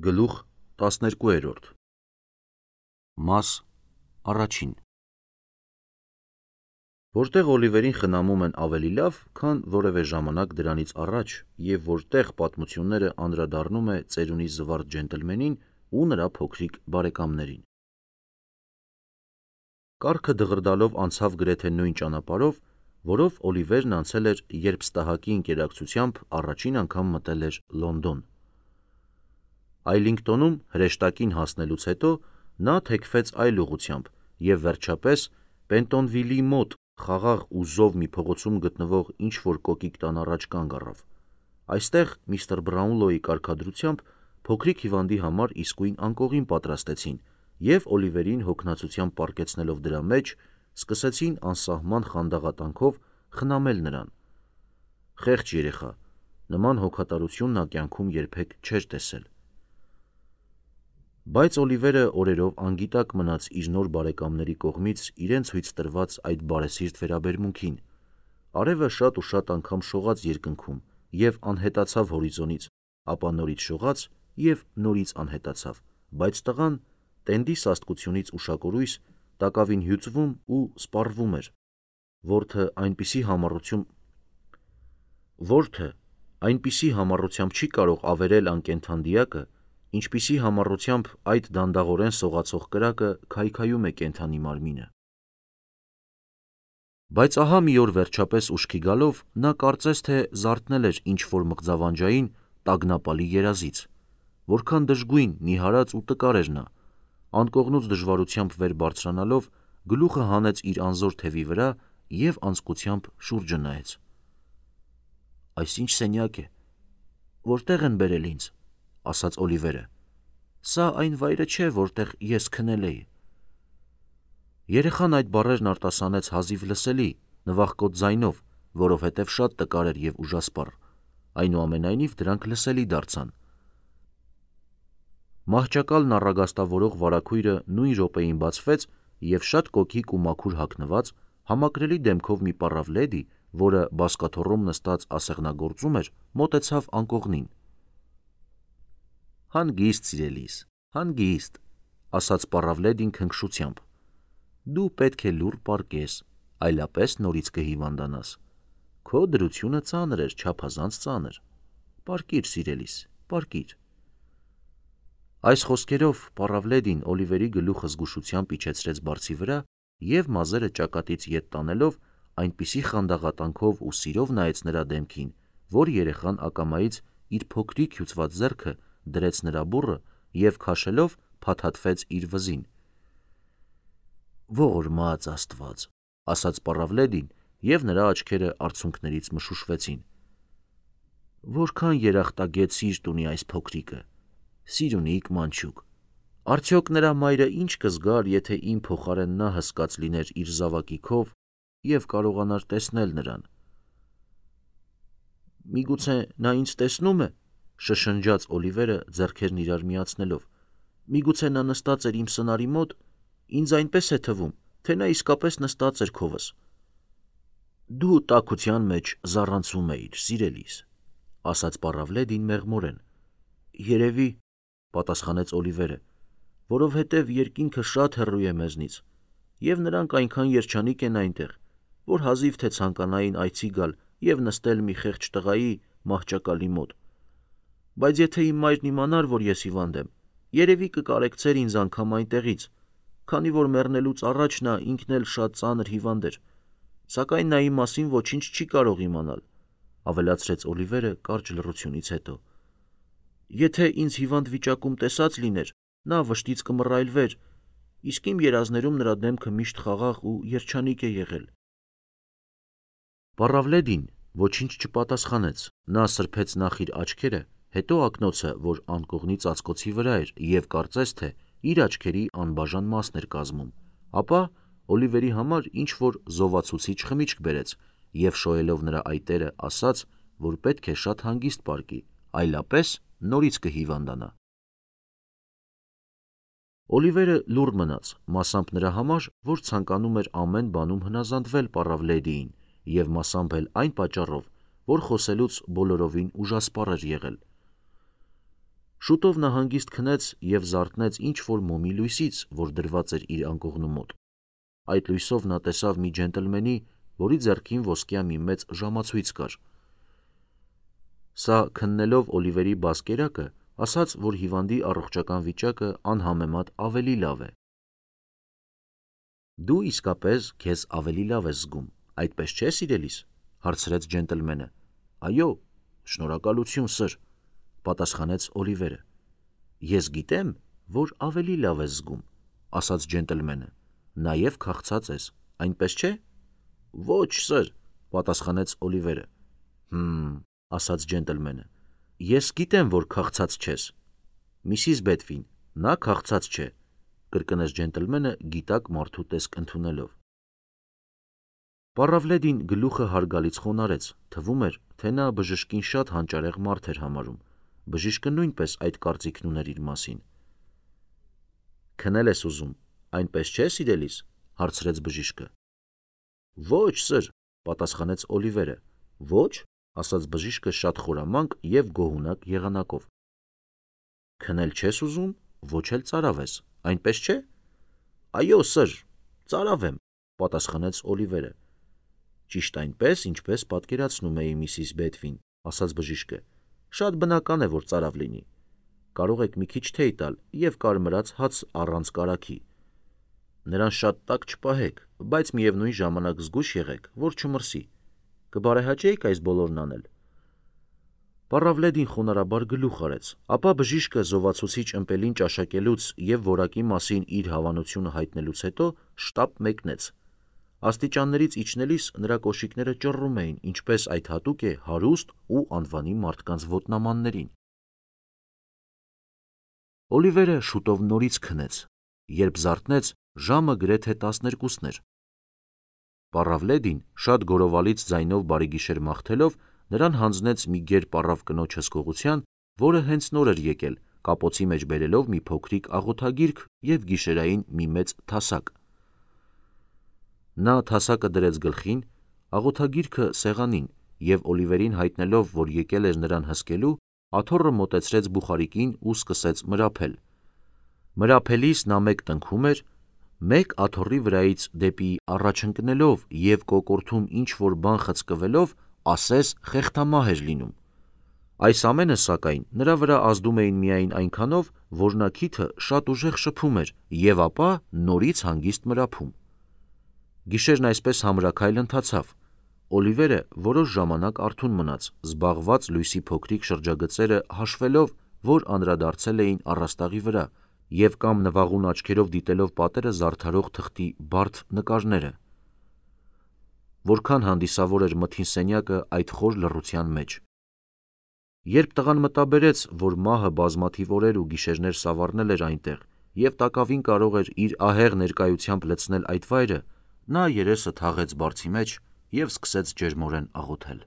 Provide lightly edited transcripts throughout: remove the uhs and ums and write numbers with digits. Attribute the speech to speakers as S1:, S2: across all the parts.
S1: Գլուխ 12 Մաս առաջին Որտեղ Օլիվերին խնամում են ավելի լավ, քան որևէ ժամանակ դրանից առաջ և որտեղ պատմությունները անդրադառնում է ծերունի զվարթ ջենտլմենին ու նրա փոքրիկ բարեկամներին։ Կառքը դղրդալով անցավ գրեթե նույն ճանապարհով, որով Օլիվերն անցել էր, երբ ստահակի ընկերակցությամբ առաջին անգամ մտել էր Լոնդոն։ Այլինգտոնում հրեշտակին հասնելուց հետո նա թեքվեց այլ ուղղությամբ և վերջապես Պենտոնվիլի մոտ խաղաղ ու զով մի փողոցում գտնվող ինչ-որ կոկիկ տան առաջ կանգ առավ։ Այստեղ միստր Բրաունլոյի կարգադրությամբ փոքրիկ հիվանդի համար իսկույն անկողին պատրաստեցին և Օլիվերին հոգնածությամբ պառկեցնելով դրա մեջ, սկսեցին անսահման խանդաղատանքով խնամել նրան։ Խեղճ երեխա, նման հոգատարություն նա կյանքում երբեք չէր տեսել։ Բայց Օլիվերը օրերով անգիտակ մնաց իր նոր բարեկամների կողմից իրենց հույց տրված այդ բարեսիրտ վերաբերմունքին։ Արևը շատ ու շատ անգամ շողաց երկնքում և անհետացավ հորիզոնից, ապա նորից շողաց և նորից անհետացավ, բայց տղան տենդի սաստկությունից ուշակորույս տակավին հյուծվում ու սպառվում էր։ Որդը այնպիսի համառությամբ չի կարող ավերել անկենդան դիակը, ինչպիսի համառությամբ այդ դանդաղորեն սողացող կրակը քայքայում է կենդանի մարմինը։ Բայց ահա մի օր վերջապես ուշքի գալով նա կարծես թե զարթնել էր ինչ-որ մղձավանջային տագնապալի երազից։ Որքան դժգույն, նիհարած ու տկար էր նա։ Անկողնուց դժվարությամբ վեր բարձրանալով գլուխը հանեց իր անզոր թևի վրա և անձկությամբ շուրջը նայեց։ «Այս ի՞նչ սենյակ է, որտե՞ղ են բերել ինձ», – ասաց Օլիվերը։ «Սա այն վայրը չէ, որտեղ ես քնել էի»։ Երեխան այդ բառերն արտասանեց հազիվ լսելի, նվախկոտ ձայնով, որովհետև շատ տկար էր և ուժասպառ, այնուամենայնիվ դրանք լսելի դարձան։ Մահճակալն առագաստավորող վարագույրը նույն րոպեին բացվեց և շատ կոկիկ ու մաքուր հագնված, համակրելի դեմքով մի պառավ լեդի, որը բազկաթոռում նստած ասեղնագործում էր, մոտեցավ անկողնին։ «Հանգիստ, սիրելիս, հանգիստ», – ասաց պառավ լեդին քնքշությամբ։ «Դու պետք է լուռ պառկես, այլապես նորից կհիվանդանաս։ Քո դրությունը ծանր էր, չափազանց ծանր։ Պառկիր, սիրելիս, պառկիր»։ Այս խոսքերով պառավ լեդին Օլիվերի գլուխը զգուշությամբ իջեցրեց բարձի վրա և մազերը ճակատից ետ տանելով այնպիսի խանդաղատանքով ու սիրով նայեց նրա դեմքին, որ երեխան ակամայից իր փոքրիկ հյուծված ձեռքը դրեց նրա բուռը և քաշելով փաթաթվեց իր վզին։ «Ողորմած Աստված», – ասաց պառավ լեդին և նրա աչքերը արցունքներից մշուշվեցին։ «Որքան երախտագետ սիրտ ունի այս փոքրիկը, սիրունիկ մանչուկ։ Արդյոք նրա մայրը ինչ կզգար, եթե իմ փոխարեն նա հսկած լիներ իր զավակի քով և կարողանար տեսնել նրան»։ «Միգուցե նա ինձ տեսնո՞ւմ է», – շշնջաց Օլիվերը ձեռքերն իրար միացնելով։ «Միգուցե նա նստած էր իմ սնարի մոտ, ինձ այնպես է թվում, թե նա իսկապես նստած էր քովս»։ «Դու տաքության մեջ զառանցում էիր, սիրելիս», – ասաց պառավ լեդին մեղմորեն։ «Երևի», – պատասխանեց Օլիվերը, «որովհետև երկինքը շատ հեռու է մեզնից, և նրանք այնքան երջանիկ են այնտեղ, որ հազիվ թե ցանկանային այցի գալ և նստել մի խեղճ տղայի մահճակալի մոտ։ Բայց եթե իմ մայրն իմանար, որ ես հիվանդ եմ, երևի կկարեկցեր ինձ անգամ այնտեղից, քանի որ մեռնելուց առաջ նա ինքն էլ շատ ծանր հիվանդ էր, սակայն նա իմ մասին ոչինչ չի կարող իմանալ», – ավելացրեց Օլիվերը կարճ լռությունից հետո։ «Եթե ինձ հիվանդ վիճակում տեսած լիներ, նա վշտից կմռայլվեր, իսկ իմ երազներում նրա դեմքը միշտ խաղաղ ու երջանիկ է եղել»։ Պառավ լեդին ոչինչ չպատասխանեց։ Նա սրբեց նախ իր աչքերը, հետո ակնոցը, որ անկողնի ծածկոցի վրա էր և կարծես թե իր աչքերի անբաժան մասն էր կազմում, ապա Օլիվերի համար ինչ-որ զովացուցիչ խմիչք բերեց և շոյելով նրա այտերը ասաց, որ պետք է շատ հանգիստ պառկի, այլապես նորից կհիվանդանա։ Օլիվերը լուռ մնաց, մասամբ նրա համար, որ ցանկանում էր ամեն բանում հնազանդվել պառավ լեդիին և մասամբ էլ այն պատճառով, որ խոսելուց բոլորովին ուժասպառ էր եղել։ Շուտով նա հանգիստ քնեց և զարթնեց ինչ-որ մոմի լույսից, որ դրված էր իր անկողնու մոտ։ Այդ լույսով նա տեսավ մի ջենտլմենի, որի ձեռքին ոսկյա մի մեծ ժամացույց կար։ Սա քննելով Օլիվերի բազկերակը, ասաց, որ հիվանդի առողջական վիճակը անհամեմատ ավելի լավ է։ Դու իսկապես քեզ ավելի լավ ես զգում, այդպես չէ, սիրելիս, հարցրեց ջենտլմենը։ Այո, շնորհակալություն, սըր, պատասխանեց Օլիվերը։ Ես գիտեմ, որ ավելի լավ ես զգում, ասաց ջենտլմենը, նաև քաղցած ես, այնպես չէ։ Ոչ, սըր, պատասխանեց Օլիվերը։ Ասաց ջենտլմենը, ես գիտեմ, որ քաղցած չես։ Միսիս Բեդվին, նա քաղցած չէ, կրկնեց ջենտլմենը գիտակ մարդու տեսք ընդունելով։ Պառավլեդին գլուխը հարգալից խոնարհեց, թվում էր, թե նա բժշկին շատ հանճարեղ մարդ էր համարում։ Բժիշկը նույնպես այդ կարծիքն ուներ իր մասին։ Քնել ես ուզում, այնպես չէ, սիրելիս, հարցրեց բժիշկը։ Ոչ, սըր, պատասխանեց Օլիվերը։ Ոչ, ասաց բժիշկը շատ խորամանկ և գոհունակ եղանակով։ Քնել չես ուզում, ոչ էլ ծարավ ես, այնպես չէ։ Այո, սըր, ծարավ եմ, պատասխանեց Օլիվերը։ Ճիշտ այնպես, ինչպես պատկերացնում էի միսիս Բեդվին, ասաց բժիշկը։ Շատ բնական է, որ ծարավ լինի։ Կարող եք մի քիչ թեյ տալ և կարմրած հաց առանց կարագի։ Նրան շատ տաք չպահեք, բայց միևնույն ժամանակ զգույշ եղեք, որ չմրսի։ Կբարեհաճեիք այս բոլորն անել։ Պառավլեդին խոնարհաբար գլուխ արեց, ապա բժիշկը զովացուցիչ ըմպելին ճաշակելուց և որակի մասին իր հավանությունը հայտնելուց հետո շտապ մեկնեց։ Աստիճաններից իջնելիս նրա կոշիկները ճռռում էին, ինչպես այդ հատուկ է հարուստ ու անվանի մարդկանց ոտնամաններին։ Օլիվերը շուտով նորից քնեց, երբ զարթնեց, ժամը գրեթե 12-ն էր։ Պառավլեդին շատ գորովալից ձայնով բարեգիշեր մաղթելով նրան հանձնեց մի գեր պառավ կնոջ հսկողության, որը հենց նոր էր եկել, կապոցի մեջ բերելով մի փոքրիկ աղոթագիրք և գիշերային մի մեծ թասակ։ Նա թասակը դրեց գլխին, աղոթագիրքը սեղանին և Օլիվերին հայտնելով, որ եկել էր նրան հսկելու, աթոռը մոտեցրեց բուխարիկին ու սկսեց մրափել։ Մրափելիս նա մեկ տնքում էր, մեկ աթոռի վրայից դեպի առաջ ընկնելով և կոկորդում ինչ-որ բան խցկվելով, ասես խեղդամահ էր լինում։ Այս ամենը, սակայն, նրա վրա ազդում էին միայն այնքանով, որ նա քիթը շատ ուժեղ շփում էր և ապա նորից հանգիստ մրափում։ Գիշերն այսպես համրաքայլ ընթացավ։ Օլիվերը որոշ ժամանակ արթուն մնաց, զբաղված լույսի փոքրիկ շրջագծերը հաշվելով, որ անդրադարձել էին առաստաղի վրա, և կամ նվաղուն աչքերով դիտելով պատերը զարդարող թղթի բարդ նկարները։ Որքան հանդիսավոր էր մթին սենյակը այդ խոր լռության մեջ։ Երբ տղան մտաբերեց, որ մահը բազմաթիվ օրեր ու գիշերներ սավառնել էր այնտեղ և տակավին կարող էր իր ահեղ ներկայությամբ լցնել այդ վայրը, նա երեսը թաղեց բարձի մեջ և սկսեց ջերմորեն աղոթել։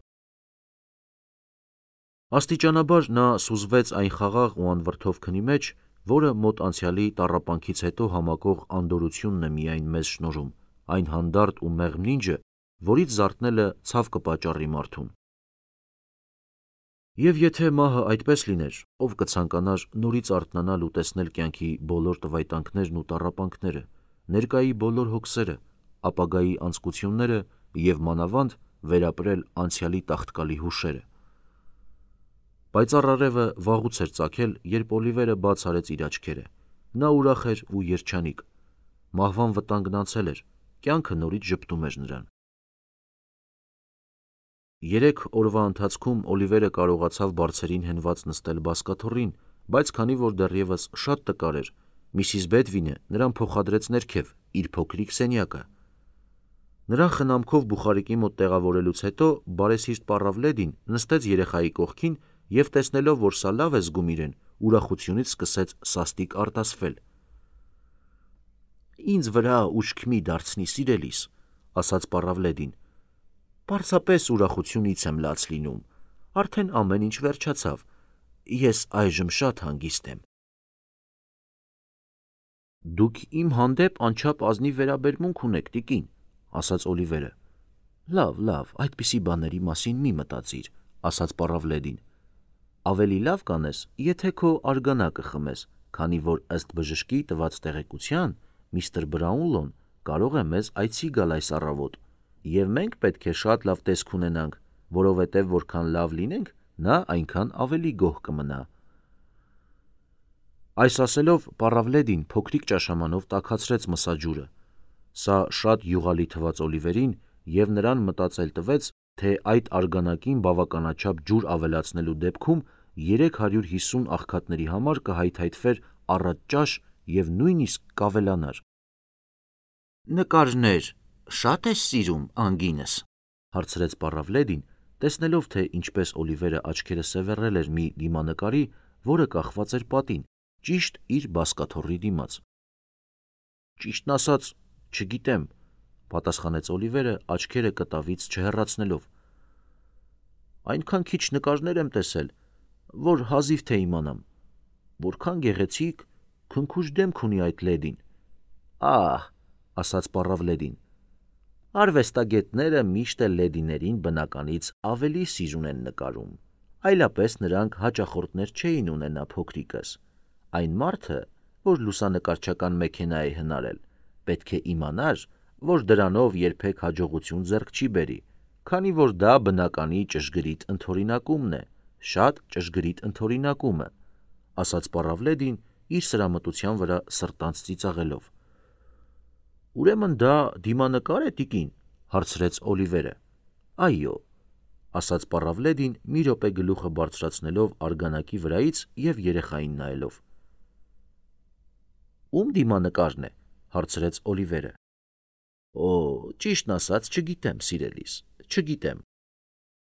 S1: Աստիճանաբար նա սուզվեց այն խաղաղ ու անվրդով քնի մեջ, որը մոտ անցյալի տառապանքից հետո համակող անդորրությունն է միայն մեզ շնորհում, այն հանդարտ ու մեղմ նինջը, որից զարթնելը ցավ կպատճառի մարդուն։ Եվ եթե մահը այդպես լիներ, ով կցանկանար նորից արթնանալ ու տեսնել կյանքի բոլոր տվայտանքներն ու տառապանքները, ներկայի բոլոր հոգսերը, ապագայի անձկությունները և մանավանդ վերապրել անցյալի տաղտկալի հուշերը։ Պայծառ արևը վաղուց էր ծագել, երբ Օլիվերը բաց արեց իր աչքերը։ Նա ուրախ էր ու երջանիկ։ Մահվան վտանգն անցել էր, կյանքը նորից ժպտում էր նրան։ 3 օրվա ընթացքում Օլիվերը կարողացավ բարձերին հենված նստել բազկաթոռին, բայց քանի որ դեռևս շատ տկար էր, միսիս Բեդվինը նրան փոխադրեց ներքև, իր փոքրիկ սենյակը։ Նրան խնամքով բուխարիկի մոտ տեղավորելուց հետո բարեսիրտ Պառավլեդին նստեց երեխայի կողքին և տեսնելով, որ սա լավ է զգում իրեն, ուրախությունից սկսեց սաստիկ արտասվել։ Ինձ վրա ուշք մի դարձնի, սիրելիս, ասաց Պառավլեդին։ Պարզապես ուրախությունից եմ լաց լինում, արդեն ամեն ինչ վերջացավ, ես այժմ շատ հանգիստ եմ։ Դուք իմ հանդեպ անչափ ազնիվ վերաբերմունք ունեք, տիկին, ասաց Օլիվերը։ Լավ, այդպիսի բաների մասին մի մտածիր, ասաց Պառավլեդին։ Ավելի լավ կանես, եթե քո արգանակը խմես, քանի որ ըստ բժշկի տված տեղեկության, միստր Բրաունլոն կարող է մեզ այցի գալ այս առավոտ, եւ մենք պետք է շատ լավ տեսք ունենանք, որովհետեւ որքան լավ լինենք, նա այնքան ավելի գոհ կմնա։ Այս ասելով Պառավլեդին փոքրիկ ճաշամանով տաքացրեց մսաջուրը։ Սա շատ յուղալի թվաց Օլիվերին եւ նրան մտածել տվեց, թե այդ արգանակին բավականաչափ ջուր ավելացնելու դեպքում 350 աղքատների համար կհայթայթվեր առատ ճաշ եւ նույնիսկ կավելանար։ Նկարներ շատ ես սիրում, անգինս, հարցրեց Պառավլեդին, տեսնելով, թե ինչպես Օլիվերը աչքերը սևեռել էր մի դիմանկարի, որը կախված էր պատին, ճիշտ իր բազկաթոռի դիմաց։ Ճիշտն ասած, չգիտեմ, պատասխանեց Օլիվերը աչքերը կտավից չհեռացնելով։ Այնքան քիչ նկարներ եմ տեսել, որ հազիվ թե իմանամ, որքան գեղեցիկ, քնքուշ դեմք ունի այդ լեդին։ Ահ, ասաց Պառավլեդին, արվեստագետները միշտ էլ լեդիներին բնականից ավելի սիրուն են նկարում, այլապես նրանք հաճախորդներ չէին ունենա փոքրիկս։ Այն մարդը, որ լուսանկարչական մեքենա է հնարել, պետք է իմանար, որ դրանով երբեք հաջողություն ձեռք չի բերի, քանի որ դա բնականի ճշգրիտ ընդօրինակումն է, շատ ճշգրիտ ընդօրինակումը, ասաց Պառավլեդին իր սրամտության վրա սրտանց ծիծաղելով։ Ուրեմն դա դիմանկար է, տիկին, հարցրեց Օլիվերը։ Այո, ասաց Պառավլեդին մի րոպե գլուխը բարձրացնելով արգանակի վրայից եւ երեխային նայելով։ Ում դիմանկարն է, հարցրեց Օլիվերը։ Օ, ճիշտն ասած, չգիտեմ, սիրելիս, չգիտեմ,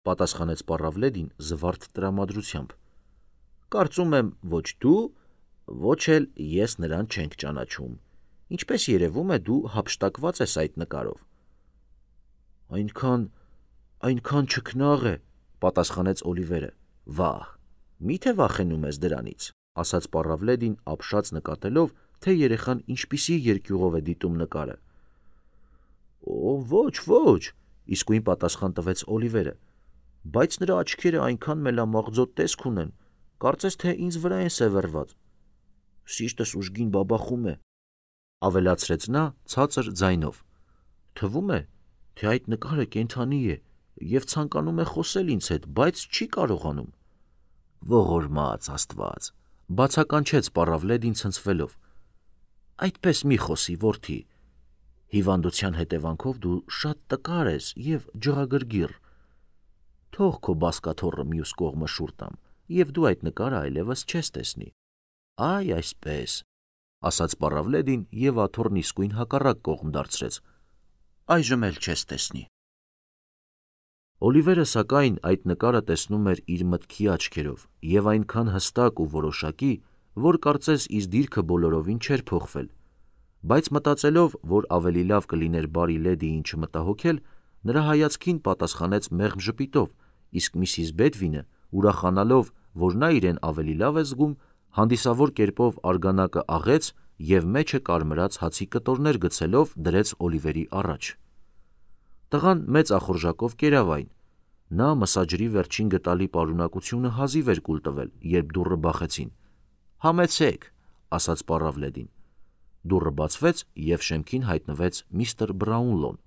S1: պատասխանեց Պառավլեդին զվարթ տրամադրությամբ։ Կարծում եմ, ոչ դու, ոչ էլ ես նրան չենք ճանաչում։ Ինչպես երևում է, դու հափշտակված ես այդ նկարով։ Այնքան չքնաղ է, պատասխանեց Օլիվերը։ Վահ, միթե վախենում ես դրանից, ասաց Պառավլեդին ապշած նկատելով, թե երեխան ինչպիսի երկյուղով է դիտում նկարը։ Օ, ոչ, իսկույն պատասխան տվեց Օլիվերը, բայց նրա աչքերը այնքան մելամաղձոտ տեսք ունեն, կարծես թե ինձ վրա են սևեռված։ Սիրտս ուժգին բաբախում է, ավելացրեց նա ցածր ձայնով։ Թվում է, թե այդ նկարը կենդանի է եւ ցանկանում է խոսել ինձ հետ, բայց չի կարողանում։ Ողորմած Աստված, բացականչեց Պառավլեդին ցնցվելով։ Այդպես մի խոսի, որդի։ Հիվանդության հետևանքով դու շատ տկար ես եւ ջղագրգիռ։ Թող քո բազկաթոռը մյուս կողմը շուռ տամ, եւ դու այդ նկարը այլևս չես տեսնի։ Այ այսպես, ասաց Պառավլեդին եւ աթոռն իսկույն հակառակ կողմ դարձրեց։ Այժմ էլ չես տեսնի։ Օլիվերը սակայն այդ նկարը տեսնում էր իր մտքի աչքերով եւ այնքան հստակ ու որոշակի, որ կարծես իր դիրքը բոլորովին չէր փոխվել, բայց մտածելով, որ ավելի լավ կլիներ բարի լեդիին չմտահոգել, նրա հայացքին պատասխանեց մեղմ ժպիտով, իսկ Միսիս Բեդվինը, ուրախանալով, որ նա իրեն ավելի լավ է զգում, հանդիսավոր կերպով արգանակը աղեց եւ մեջը կարմրած հացի կտորներ գցելով դրեց Օլիվերի առաջ։ Տղան մեծ ախորժակով կերավ այն։ Նա մսաջրի վերջին գտալի պարունակությունը հազիվ էր կուլ տվել, երբ դուռը բախեցին։ Համեցեք, ասաց Պառավլեդին։ Դուռը բացվեց եւ շեմքին հայտնվեց միստր Բրաունլոն։